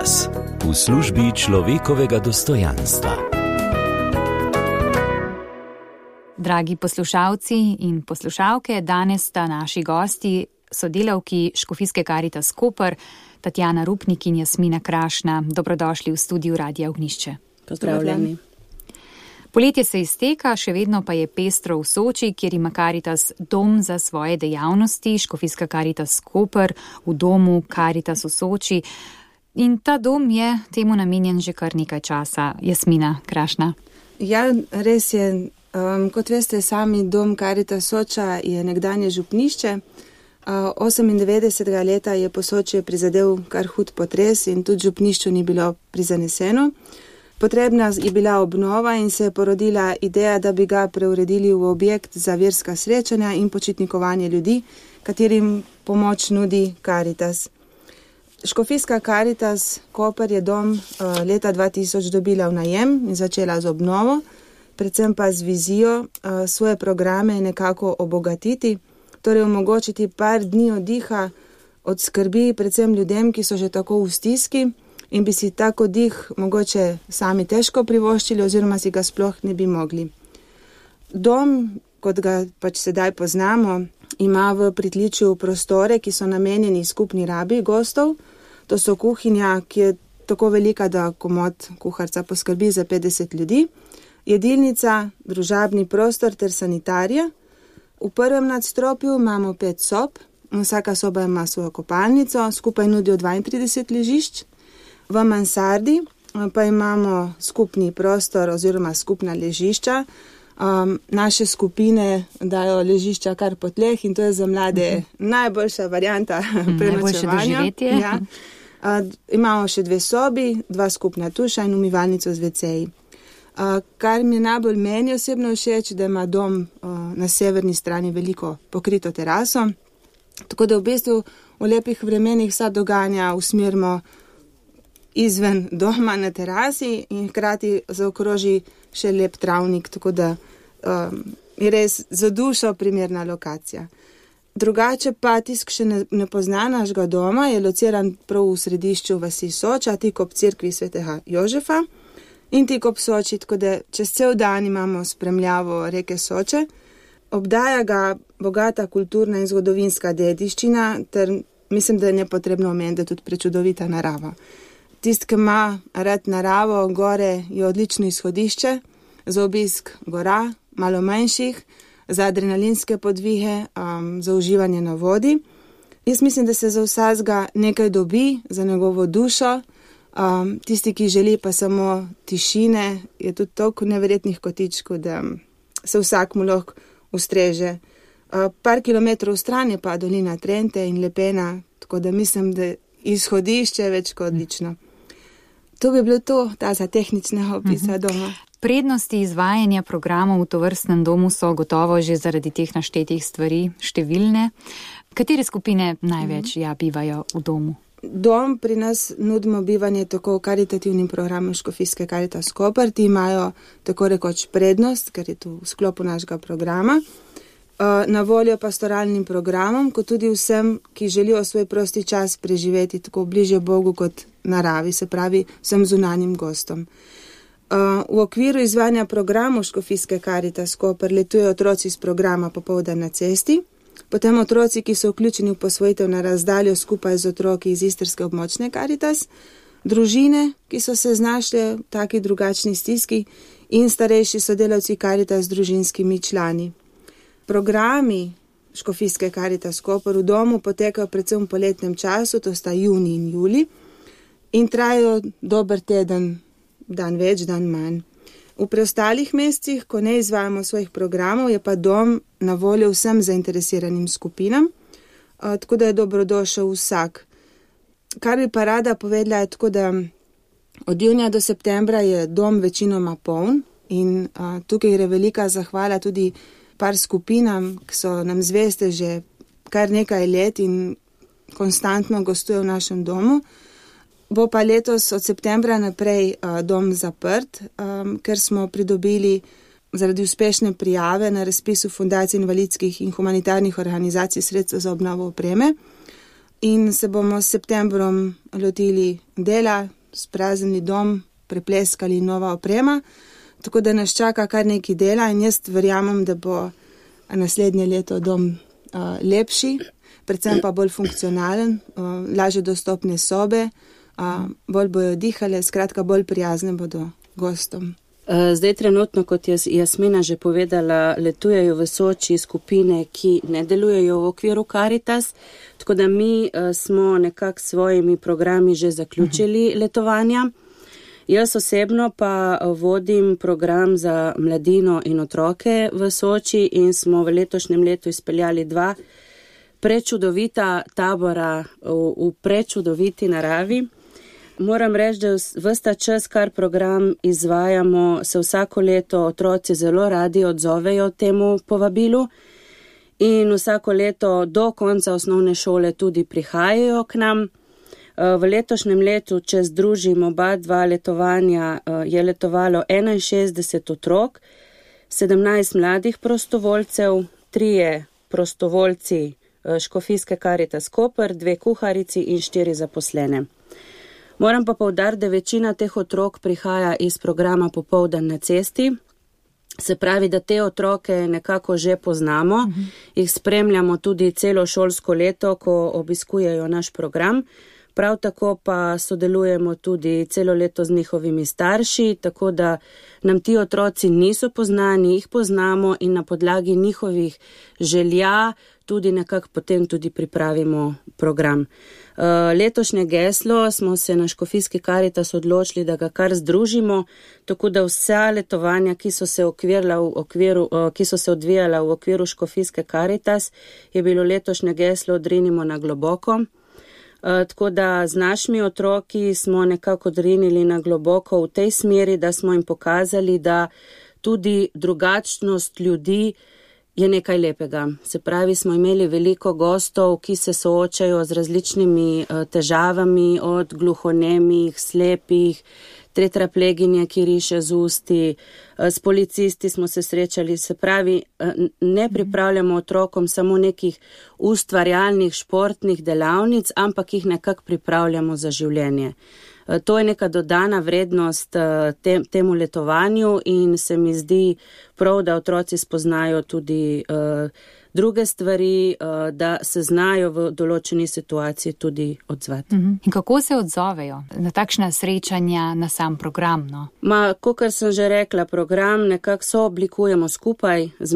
Karitas v službi človekovega dostojanstva. Dragi poslušalci in poslušalke, danes sta naši gosti sodelavki Škofijske Karitas Koper, Tatjana Rupnik in Jasmina Krašna. Dobrodošli v studiu Radia Ognjišče. Pozdravljeni. Poletje se izteka, še vedno pa je pestro v Soči, kjer ima Karitas dom za svoje dejavnosti, Škofijska Karitas Koper v domu Karitas v Soči. In ta dom je temu namenjen že kar nekaj časa. Jasmina Krašna. Ja, res je. Kot veste, sami dom Karitas Soča je nekdanje župnišče. 98. leta je Posočje prizadel kar hud potres in tudi župnišču ni bilo prizaneseno. Potrebna je bila obnova in se je porodila ideja, da bi ga preuredili v objekt za verska srečanja in počitnikovanje ljudi, katerim pomoč nudi Karitas. Škofijska Karitas Koper je dom leta 2000 dobila v najem in začela z obnovo, predvsem pa z vizijo svoje programe nekako obogatiti, torej omogočiti par dni oddiha od skrbi predvsem ljudem, ki so že tako v stiski in bi si tak oddih mogoče sami težko privoščili oziroma si ga sploh ne bi mogli. Dom, kot ga pač sedaj poznamo, ima v pritličju prostore, ki so namenjeni skupni rabi gostov. To so kuhinja, ki je tako velika, da komot kuharca poskrbi za 50 ljudi, jedilnica, družabni prostor ter sanitarija. V prvem nadstropju imamo 5 sob, vsaka soba ima svojo kopalnico, skupaj nudijo 32 ležišč. V mansardi pa imamo skupni prostor oziroma skupna ležišča. Naše skupine dajo ležišča kar po tleh in to je za mlade najboljša varianta prenočevanja. Ja. Imamo še 2 sobi, 2 skupna tuša in umivalnico z WC-ji. Kar mi je najbolj meni osebno všeč, da ima dom na severni strani veliko pokrito teraso, tako da v bistvu v lepih vremenih vsa dogajanja usmerimo izven doma na terasi in hkrati zaokroži še lep travnik, tako da je res za dušo primerna lokacija. Drugače pa tisk še ne pozna našega doma, je lociran prav v središču vasi Soča, tik ob cerkvi svetega Jožefa in tik ob Soči, tako da čez cel dan imamo spremljavo reke Soče. Obdaja ga bogata kulturna in zgodovinska dediščina ter mislim, da je nepotrebno omeniti tudi prečudovita narava. Tist, ki ima rad naravo, gore je odlično izhodišče za obisk gora, malo manjših, za adrenalinske podvihe, za uživanje na vodi. Jaz mislim, da se za vsakega nekaj dobi, za njegovo dušo. Tisti, ki želi pa samo tišine, je tudi toliko neverjetnih kotičkov, da se vsak mu lahko ustreže. Par kilometrov stran je pa dolina Trente in Lepena, tako da mislim, da izhodišče je več kot odlično. To bi bilo to, ta za tehničnega opisa doma. Prednosti izvajanja programov v tovrstnem domu so gotovo že zaradi teh naštetih stvari številne. Katere skupine največ bivajo v domu? Dom pri nas nudimo bivanje tako karitativnim programom Škofijske Karitas Koper. Ti imajo tako rekoč prednost, ker je tu v sklopu našega programa. Na voljo pastoralnim programom, kot tudi vsem, ki želijo svoj prosti čas preživeti tako bližje Bogu kot naravi, se pravi vsem zunanjim gostom. V okviru izvajanja programov Škofijske Karitas Koper letujejo otroci iz programa Popoldan na cesti, potem otroci, ki so vključeni v posvojitev na razdaljo skupaj z otroki iz istrske območne Karitas, družine, ki so se znašle v taki drugačni stiski in starejši sodelavci Karitas z družinskimi člani. Programi Škofijske Karitas Koper v domu potekajo predvsem v poletnem času, to sta junij in julij, in trajajo dober teden, dan več, dan manj. V preostalih mesecih, ko ne izvajamo svojih programov, je pa dom na voljo vsem zainteresiranim skupinam, tako da je dobrodošel vsak. Kar bi pa rada povedala je tako, da od junija do septembra je dom večinoma poln in tukaj gre velika zahvala tudi par skupinam, ki so nam zveste že kar nekaj let in konstantno gostujejo v našem domu. Bo pa letos od septembra naprej dom zaprt, ker smo pridobili zaradi uspešne prijave na razpisu Fundacije invalidskih in humanitarnih organizacij sredstev za obnovo opreme in se bomo s septembrom lotili dela, spraznili dom, prepleskali nova oprema, tako da nas čaka kar nekaj dela in jaz verjamem, da bo naslednje leto dom lepši, predvsem pa bolj funkcionalen, lažje dostopne sobe, bolj bojo dihale, skratka bolj prijazne bodo gostom. Zdaj trenutno, kot je Jasmina že povedala, letujejo v Soči skupine, ki ne delujejo v okviru Karitas, tako da mi smo nekako svojimi programi že zaključili letovanja. Jaz osebno pa vodim program za mladino in otroke v Soči in smo v letošnjem letu izpeljali 2 prečudovita tabora v prečudoviti naravi. Moram reči, da ves ta čas, kar program izvajamo, se vsako leto otroci zelo radi odzovejo temu povabilu in vsako leto do konca osnovne šole tudi prihajajo k nam. V letošnjem letu, če združim oba 2 letovanja, je letovalo 61 otrok, 17 mladih prostovoljcev, 3 prostovoljci Škofijske Karitas Koper, 2 kuharici in 4 zaposlene. Moram pa poudariti, da večina teh otrok prihaja iz programa Popoldan na cesti, se pravi, da te otroke nekako že poznamo, jih spremljamo tudi celo šolsko leto, ko obiskujejo naš program. Prav tako pa sodelujemo tudi celo leto z njihovimi starši, tako da nam ti otroci niso poznani, jih poznamo in na podlagi njihovih želja tudi nekako potem tudi pripravimo program. Letošnje geslo smo se na Škofijski Karitas odločili, da ga kar združimo, tako da vsa letovanja, ki so se odvijala v okviru Škofijske Karitas, je bilo letošnje geslo Odrinimo na globoko. Tako da z našimi otroki smo nekako odrinili na globoko v tej smeri, da smo jim pokazali, da tudi drugačnost ljudi je nekaj lepega. Se pravi, smo imeli veliko gostov, ki se soočajo z različnimi težavami, od gluhonemih, slepih, tetrapleginje, ki riše z usti, s policisti smo se srečali. Se pravi, ne pripravljamo otrokom samo nekih ustvarjalnih športnih delavnic, ampak jih nekako pripravljamo za življenje. To je neka dodana vrednost temu letovanju in se mi zdi prav, da otroci spoznajo tudi druge stvari, da se znajo v določeni situaciji tudi odzvati. In kako se odzovejo na takšna srečanja, na sam program? No? Kakor sem že rekla, program nekako sooblikujemo skupaj z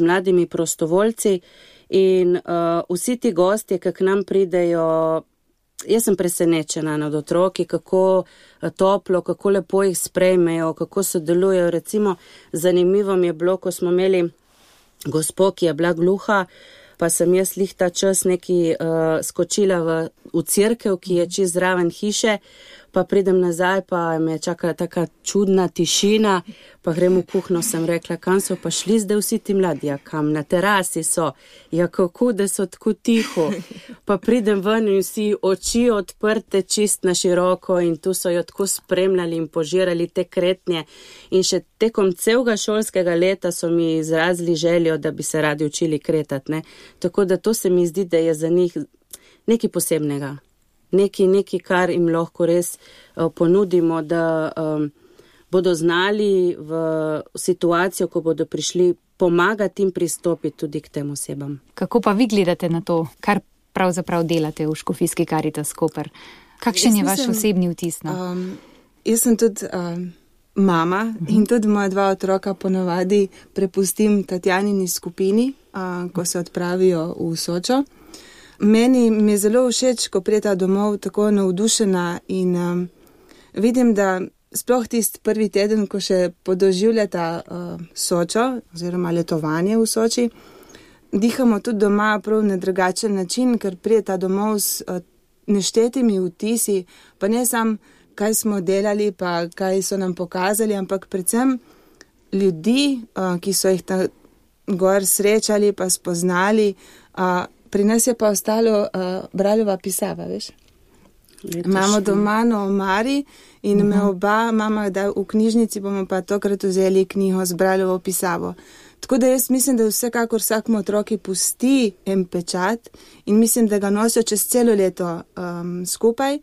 mladimi prostovoljci in vsi ti gostje, ki k nam pridejo, jaz sem presenečena nad otroki, kako toplo, kako lepo jih sprejmejo, kako sodelujejo. Recimo, zanimivo mi je bilo, ko smo imeli gospo, ki je bila gluha, pa sem jaz lih ta čas neki skočila v cerkev, ki je čez zraven hiše, pa pridem nazaj, pa me čaka taka čudna tišina, pa grem v kuhno, sem rekla, kam so pa šli zdaj vsi ti mladi, ja kam, na terasi so, ja kako, da so tako tiho, pa pridem ven in vsi oči odprte čist na široko in tu so jo tako spremljali in požirali te kretnje in še tekom celega šolskega leta so mi izrazili željo, da bi se radi učili kretati, ne, tako da to se mi zdi, da je za njih nekaj posebnega. Nekaj, kar jim lahko res ponudimo, da bodo znali v situacijo, ko bodo prišli, pomagati in pristopiti tudi k tem osebam. Kako pa vi gledate na to, kar pravzaprav delate v Škofijski Karitas Koper? Kakšen je vaš osebni vtis? Jaz sem tudi mama in tudi moja 2 otroka ponavadi prepustim Tatjanini skupini, ko se odpravijo v Sočo. Meni mi je zelo všeč, ko preta domov tako navdušena in vidim, da sploh tisti prvi teden, ko še podoživljata Sočo oziroma letovanje v Soči, dihamo tudi doma prav na drugačen način, ker preta domov s neštetimi vtisi, pa ne sam, kaj smo delali, pa kaj so nam pokazali, ampak predvsem ljudi, ki so jih ta gor srečali pa spoznali. Pri nas je pa ostalo Braljova pisava, veš? Imamo doma na omari in me oba mama, da v knjižnici bomo pa tokrat vzeli knjigo z Braljovo pisavo. Tako da jaz mislim, da vsekakor vsakmu otroki pusti en pečat in mislim, da ga nosijo čez celo leto skupaj.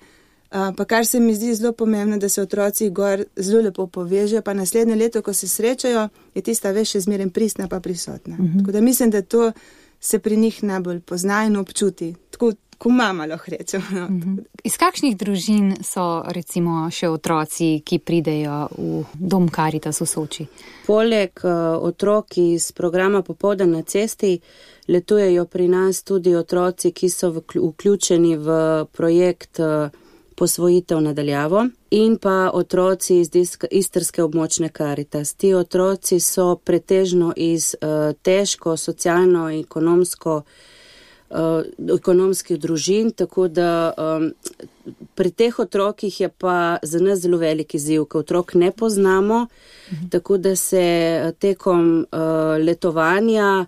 Pa kar se mi zdi zelo pomembno, da se otroci gor zelo lepo povežejo, pa naslednje leto, ko se srečajo, je tista več še zmeraj pristna pa prisotna. Tako da mislim, da to se pri njih najbolj pozna in občuti. Tako ko mama lahko rečem. No. Iz kakšnih družin so recimo še otroci, ki pridejo v dom Karitas v Soči? Poleg otrok iz programa Popoldan na cesti letujejo pri nas tudi otroci, ki so vključeni v projekt posvojitev nadaljavo in pa otroci iz istrske območne Karitas. Ti otroci so pretežno iz težko socialno-ekonomskih družin, tako da pri teh otrokih je pa za nas zelo veliki izziv, ker otrok ne poznamo, tako da se tekom letovanja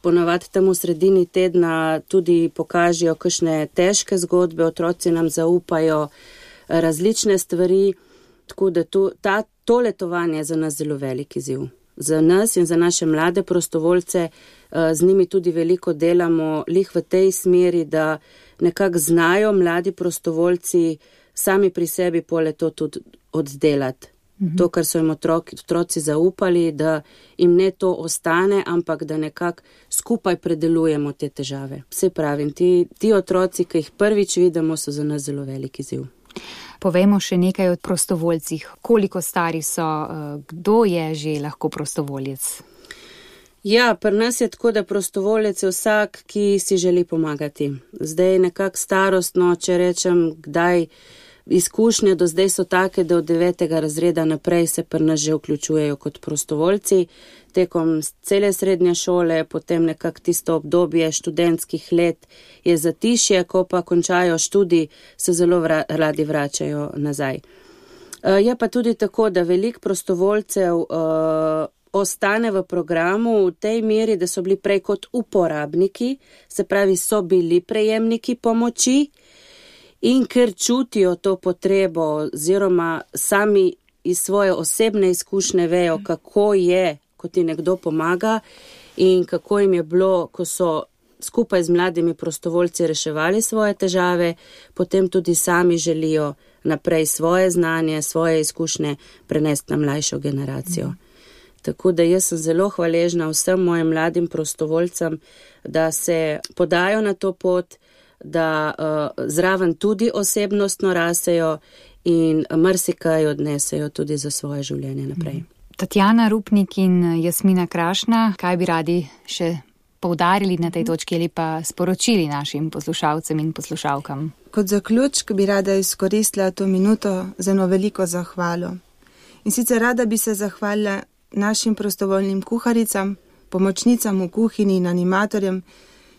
ponavadi tam v sredini tedna tudi pokažejo kakšne težke zgodbe, otroci nam zaupajo različne stvari, tako da to letovanje je za nas zelo velik izziv. Za nas in za naše mlade prostovoljce z njimi tudi veliko delamo lih v tej smeri, da nekako znajo mladi prostovoljci sami pri sebi pole to tudi oddelati. To, kar so jim otroci zaupali, da jim ne to ostane, ampak da nekako skupaj predelujemo te težave. Vse pravim, ti otroci, ki jih prvič vidimo, so za nas zelo veliki izziv. Povejmo še nekaj o prostovoljcih. Koliko stari so, kdo je že lahko prostovoljec? Ja, pri nas je tako, da prostovoljec je vsak, ki si želi pomagati. Zdaj nekako starostno, če rečem, kdaj izkušnje do zdaj so take, da od 9. razreda naprej se pri nas že vključujejo kot prostovoljci. Tekom cele srednje šole, potem nekako tisto obdobje študentskih let je zatišje, ko pa končajo študij, se zelo radi vračajo nazaj. Je pa tudi tako, da veliko prostovoljcev ostane v programu v tej meri, da so bili prej kot uporabniki, se pravi, so bili prejemniki pomoči, in ker čutijo to potrebo, oziroma sami iz svoje osebne izkušnje vejo, kako je, ko ti nekdo pomaga in kako jim je bilo, ko so skupaj z mladimi prostovoljci reševali svoje težave, potem tudi sami želijo naprej svoje znanje, svoje izkušnje prenesti na mlajšo generacijo. Tako da jaz sem zelo hvaležna vsem mojim mladim prostovoljcem, da se podajo na to pot, da zraven tudi osebnostno rasejo in marsikaj odnesejo tudi za svoje življenje naprej. Tatjana Rupnik in Jasmina Krašna, kaj bi radi še poudarili na tej točki ali pa sporočili našim poslušalcem in poslušalkam? Kot zaključek bi rada izkoristila to minuto za eno veliko zahvalo. In sicer rada bi se zahvalila našim prostovoljnim kuharicam, pomočnicam v kuhinji in animatorjem,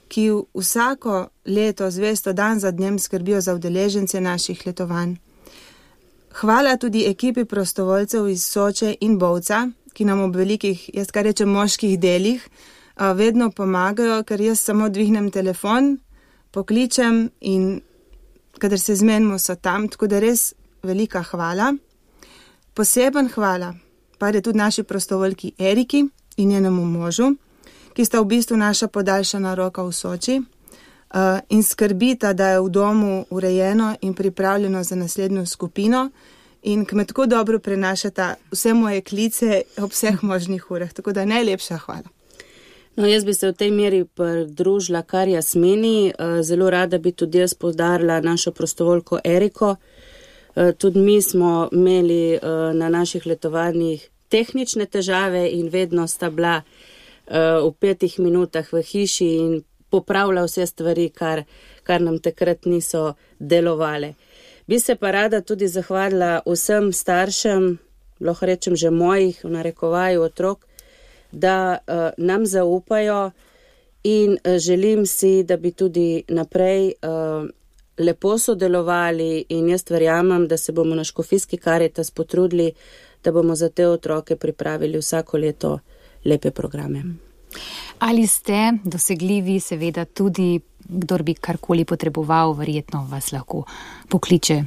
ki vsako leto zvesto dan za dnem skrbijo za udeležence naših letovanj. Hvala tudi ekipi prostovoljcev iz Soče in Bovca, ki nam ob velikih, jaz kar rečem, moških delih vedno pomagajo, ker jaz samo dvignem telefon, pokličem in kadar se zmenimo, so tam, tako da res velika hvala. Poseben hvala pa je tudi naši prostovoljki Eriki in njenemu možu, ki sta v bistvu naša podaljšana roka v Soči in skrbita, da je v domu urejeno in pripravljeno za naslednjo skupino in ki me tako dobro prenašata vse moje klice ob vseh možnih urah. Tako da najlepša hvala. No, jaz bi se v tej meri pridružila kar Jasmini. Zelo rada bi tudi jaz poudarila našo prostovoljko Eriko. Tudi mi smo imeli na naših letovanjih tehnične težave in vedno sta bila v 5 minutah v hiši in popravlja vse stvari, kar nam takrat niso delovale. Bi se pa rada tudi zahvalila vsem staršem, lahko rečem že mojih, v narekovaju otrok, da nam zaupajo in želim si, da bi tudi naprej lepo sodelovali in jaz verjamem, da se bomo na Škofijski Karitas potrudili, da bomo za te otroke pripravili vsako leto lepe programe. Ali ste dosegljivi, seveda tudi, kdor bi karkoli potreboval, verjetno vas lahko pokliče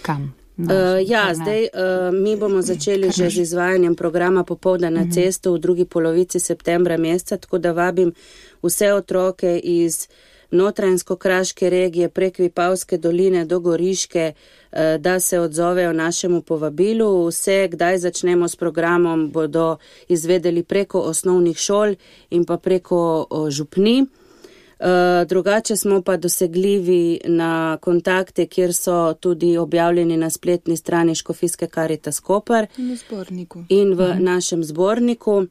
kam? Zdaj mi bomo začeli že z izvajanjem programa Popoldan na cestu v drugi polovici septembra meseca, tako da vabim vse otroke iz Notranjsko-kraške regije prek Vipavske doline do Goriške, da se odzovejo našemu povabilu. Vse, kdaj začnemo s programom, bodo izvedeli preko osnovnih šol in pa preko župni. Drugače smo pa dosegljivi na kontakte, kjer so tudi objavljeni na spletni strani Škofijske Karitas Koper in v našem zborniku.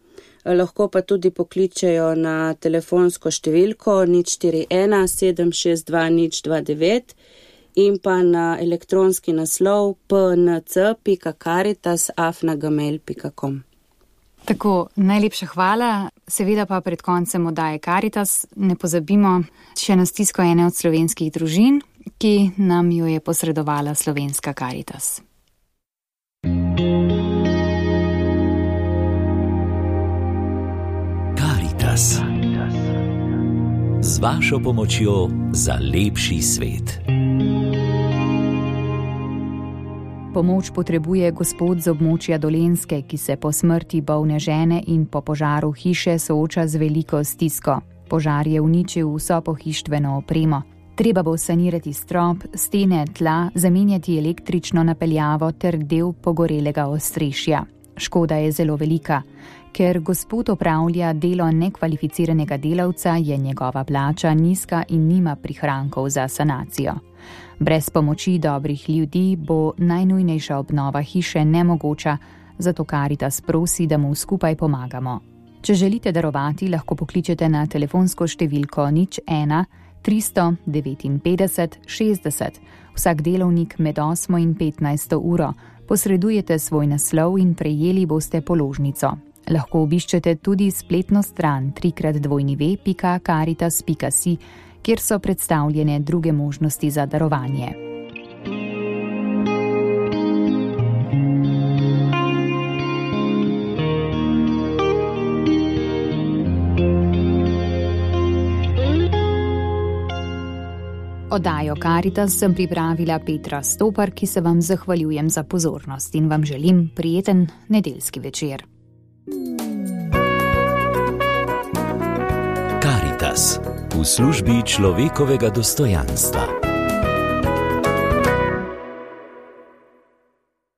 Lahko pa tudi pokličejo na telefonsko številko 041 762 029 in pa na elektronski naslov pnc.caritas@gmail.com. Tako, najlepša hvala. Seveda pa pred koncem oddaje Karitas ne pozabimo še na stisko ene od slovenskih družin, ki nam jo je posredovala Slovenska Karitas. Karitas. Z vašo pomočjo za lepši svet. Pomoč potrebuje gospod z območja Dolenjske, ki se po smrti bolne žene in po požaru hiše sooča z veliko stisko. Požar je uničil vso pohištveno opremo. Treba bo sanirati strop, stene, tla, zamenjati električno napeljavo ter del pogorelega ostrešja. Škoda je zelo velika. Ker gospod opravlja delo nekvalificiranega delavca, je njegova plača nizka in nima prihrankov za sanacijo. Brez pomoči dobrih ljudi bo najnujnejša obnova hiše nemogoča, zato Karitas prosi, da mu skupaj pomagamo. Če želite darovati, lahko pokličete na telefonsko številko 01 359 60. Vsak delovnik med 8 in 15 uro. Posredujete svoj naslov in prejeli boste položnico. Lahko obiščete tudi spletno stran www.caritas.si, kjer so predstavljene druge možnosti za darovanje. Oddajo Karitas sem pripravila Petra Stopar, ki se vam zahvaljujem za pozornost in vam želim prijeten nedeljski večer. Karitas v službi človekovega dostojanstva.